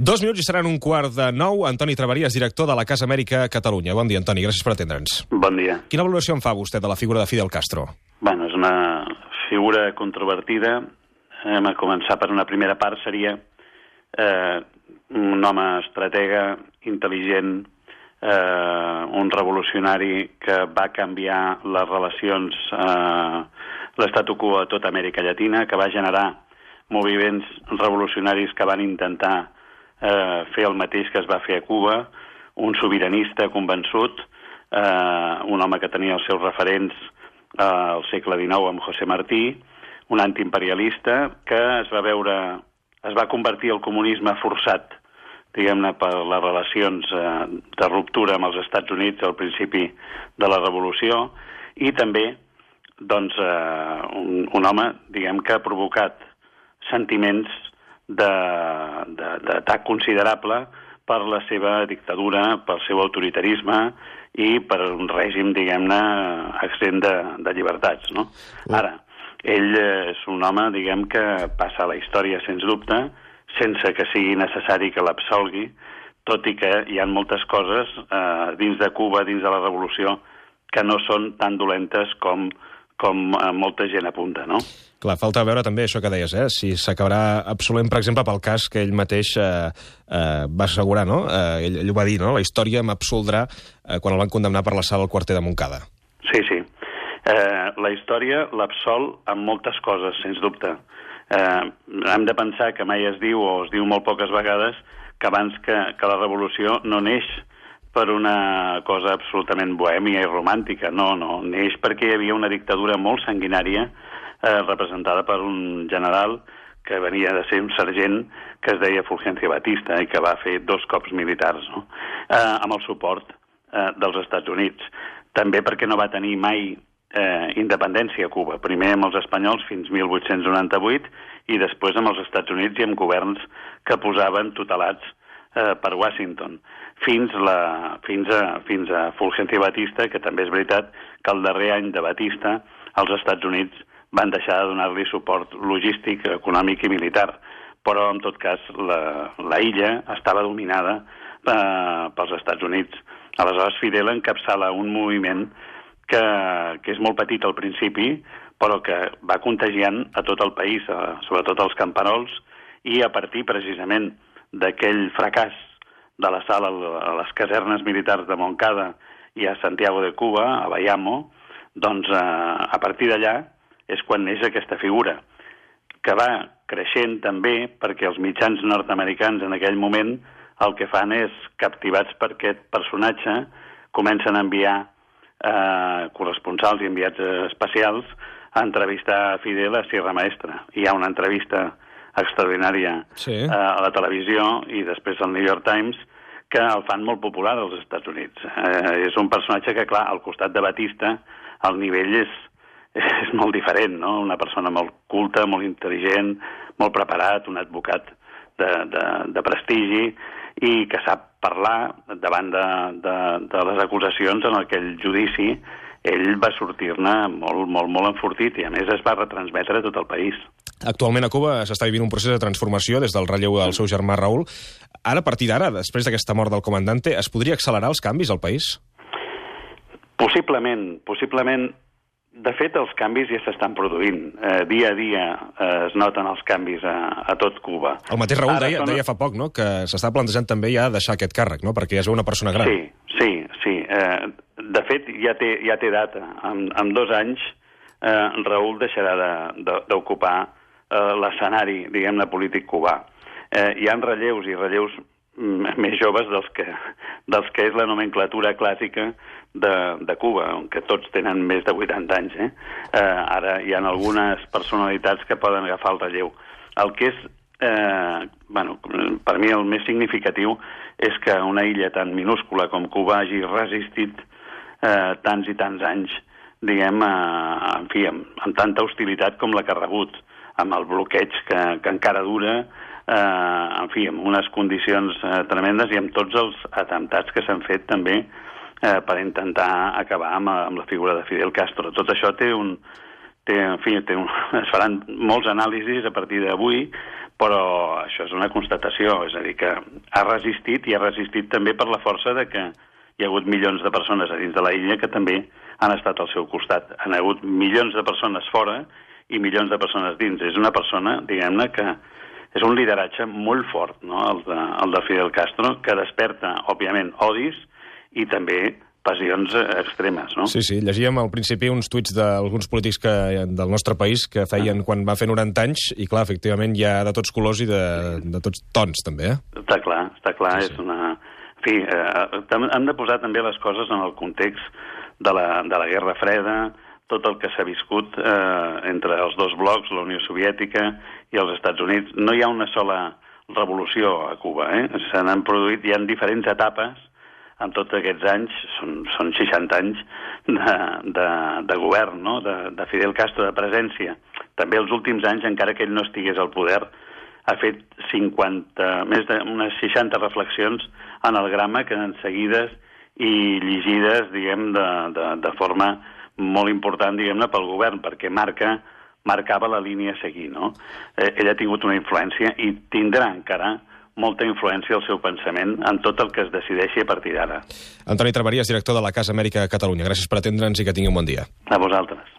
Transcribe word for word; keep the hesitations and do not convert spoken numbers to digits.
Dos minuts i seran un quart de nou. Antoni Traveries, director de la Casa Amèrica Catalunya. Bon dia, Antoni. Gràcies per atendre'ns. Bon dia. Quina valoració en fa vostè de la figura de Fidel Castro? Bueno, és una figura controvertida. Hem a començar per una primera part. Seria eh, un home estratega, intel·ligent, eh, un revolucionari que va canviar les relacions, eh, l'estatu quo a tota Amèrica Llatina, que va generar moviments revolucionaris que van intentar eh, fer el mateix que es va fer a Cuba, un sobiranista convençut, eh, un home que tenia els seus referents eh, al segle dinou amb José Martí, un antiimperialista que es va veure, es va convertir al comunisme forçat, diguem-ne, per les relacions eh, de ruptura amb els Estats Units al principi de la revolució, i també doncs, eh, un, un home, diguem, que ha provocat sentiments d'atac considerable per la seva dictadura, pel seu autoritarisme i per un règim, diguem-ne, extrem de, de llibertats, no? Ara, ell és un home, diguem, que passa a la història, sens dubte, sense que sigui necessari que l'absolgui, tot i que hi ha moltes coses eh, dins de Cuba, dins de la revolució, que no són tan dolentes com, com eh, molta gent apunta, no? Clar, falta veure també això que deies, eh? Si s'acabarà absolent, per exemple, pel cas que ell mateix eh, eh, va assegurar, no? Eh, ell, ell ho va dir, no? La història m'absoldrà eh, quan el van condemnar per l'assalt al quarter de Montcada. Sí, sí. Eh, la història l'absol amb moltes coses, sens dubte. Eh, hem de pensar que mai es diu, o es diu molt poques vegades, que abans que, que la revolució no neix per una cosa absolutament bohèmia i romàntica. No, no. Neix perquè hi havia una dictadura molt sanguinària eh, representada per un general que venia de ser un sergent que es deia Fulgencio Batista i que va fer dos cops militars, no? eh, amb el suport eh, dels Estats Units. També perquè no va tenir mai eh, independència a Cuba. Primer amb els espanyols fins mil vuit-cents noranta-vuit i després amb els Estats Units i amb governs que posaven tutelats eh, per Washington. Fins, la, fins, a, fins a Fulgencio Batista, que també és veritat que el darrer any de Batista els Estats Units van deixar de donar-li suport logístic, econòmic i militar. Però, en tot cas, la, la illa estava dominada eh, pels Estats Units. Aleshores, Fidel encapçala un moviment que, que és molt petit al principi, però que va contagiant a tot el país, a, sobretot als camperols, i a partir, precisament, d'aquell fracàs de la sala a les casernes militars de Montcada i a Santiago de Cuba, a Bayamo, doncs eh, a partir d'allà és quan neix aquesta figura, que va creixent també perquè els mitjans nord-americans en aquell moment el que fan és, captivats per aquest personatge, comencen a enviar eh, corresponsals i enviats especials a entrevistar a Fidel a Sierra Maestra. Hi ha una entrevista extraordinària sí. eh, a la televisió i després al New York Times que el fan molt popular als Estats Units. Eh, és un personatge que, clar, al costat de Batista el nivell és, és molt diferent, no? Una persona molt culta, molt intel·ligent, molt preparat, un advocat de, de, de prestigi i que sap parlar davant de, de, de les acusacions en aquell judici. Ell va sortir-ne molt, molt, molt enfortit i, a més, es va retransmetre a tot el país. Actualment a Cuba s'està vivint un procés de transformació des del relleu del seu germà Raúl. Ara, a partir d'ara, després d'aquesta mort del comandante, es podria accelerar els canvis al país? Possiblement, possiblement. De fet, els canvis ja s'estan produint. Eh, dia a dia eh, es noten els canvis a, a tot Cuba. El mateix Raúl deia, són... deia fa poc, no?, que s'està plantejant també ja deixar aquest càrrec, no?, perquè ja es veu una persona gran. Sí, sí, sí. Eh, de fet, ja té, ja té data. En, en dos anys eh, Raúl deixarà d'ocupar eh, l'escenari, diguem-ne, polític cubà. Eh, hi ha relleus i relleus més joves dels que, dels que és la nomenclatura clàssica de, de Cuba, que tots tenen més de vuitanta anys. Eh? Eh, ara hi ha algunes personalitats que poden agafar el relleu. El que és, eh, bueno, per mi el més significatiu és que una illa tan minúscula com Cuba hagi resistit eh, tants i tants anys, diguem, eh, en fi, amb, amb tanta hostilitat com la que ha rebut, amb el bloqueig que, que encara dura, eh, en fi, amb unes condicions eh, tremendes i amb tots els atemptats que s'han fet també eh, per intentar acabar amb, amb la figura de Fidel Castro. Tot això té un... Té, en fi, té un, es faran molts anàlisis a partir d'avui, però això és una constatació, és a dir, que ha resistit i ha resistit també per la força de que hi ha hagut milions de persones a dins de la illa que també han estat al seu costat. Han hagut milions de persones fora i milions de persones dins. És una persona, diguem-ne, que és un lideratge molt fort, no?, el de, el de Fidel Castro, que desperta, òbviament, odis i també passions extremes, no? Sí, sí, llegíem al principi uns tuits d'alguns polítics que, del nostre país que feien quan va fer noranta anys, i clar, efectivament hi ha de tots colors i de, de tots tons, també, eh? Està clar, està clar, sí, sí. És una... En fi, eh, hem de posar també les coses en el context de la, de la Guerra Freda, tot el que s'ha viscut eh, entre els dos blocs, la Unió Soviètica i els Estats Units. No hi ha una sola revolució a Cuba, eh? Se n'han produït, hi ha diferents etapes en tots aquests anys, són, són seixanta anys de, de, de govern, no?, de, de Fidel Castro, de presència. També els últims anys, encara que ell no estigués al poder, ha fet cinquanta, més d'unes seixanta reflexions en el grama que en seguides i llegides, diguem, de, de, de forma molt important, diguem-ne, pel govern, perquè marca, marcava la línia a seguir, no? Eh, ell ha tingut una influència i tindrà encara molta influència al seu pensament en tot el que es decideixi a partir d'ara. Antoni Traveries, director de la Casa Amèrica a Catalunya. Gràcies per atendre'ns i que tingui un bon dia. A vosaltres.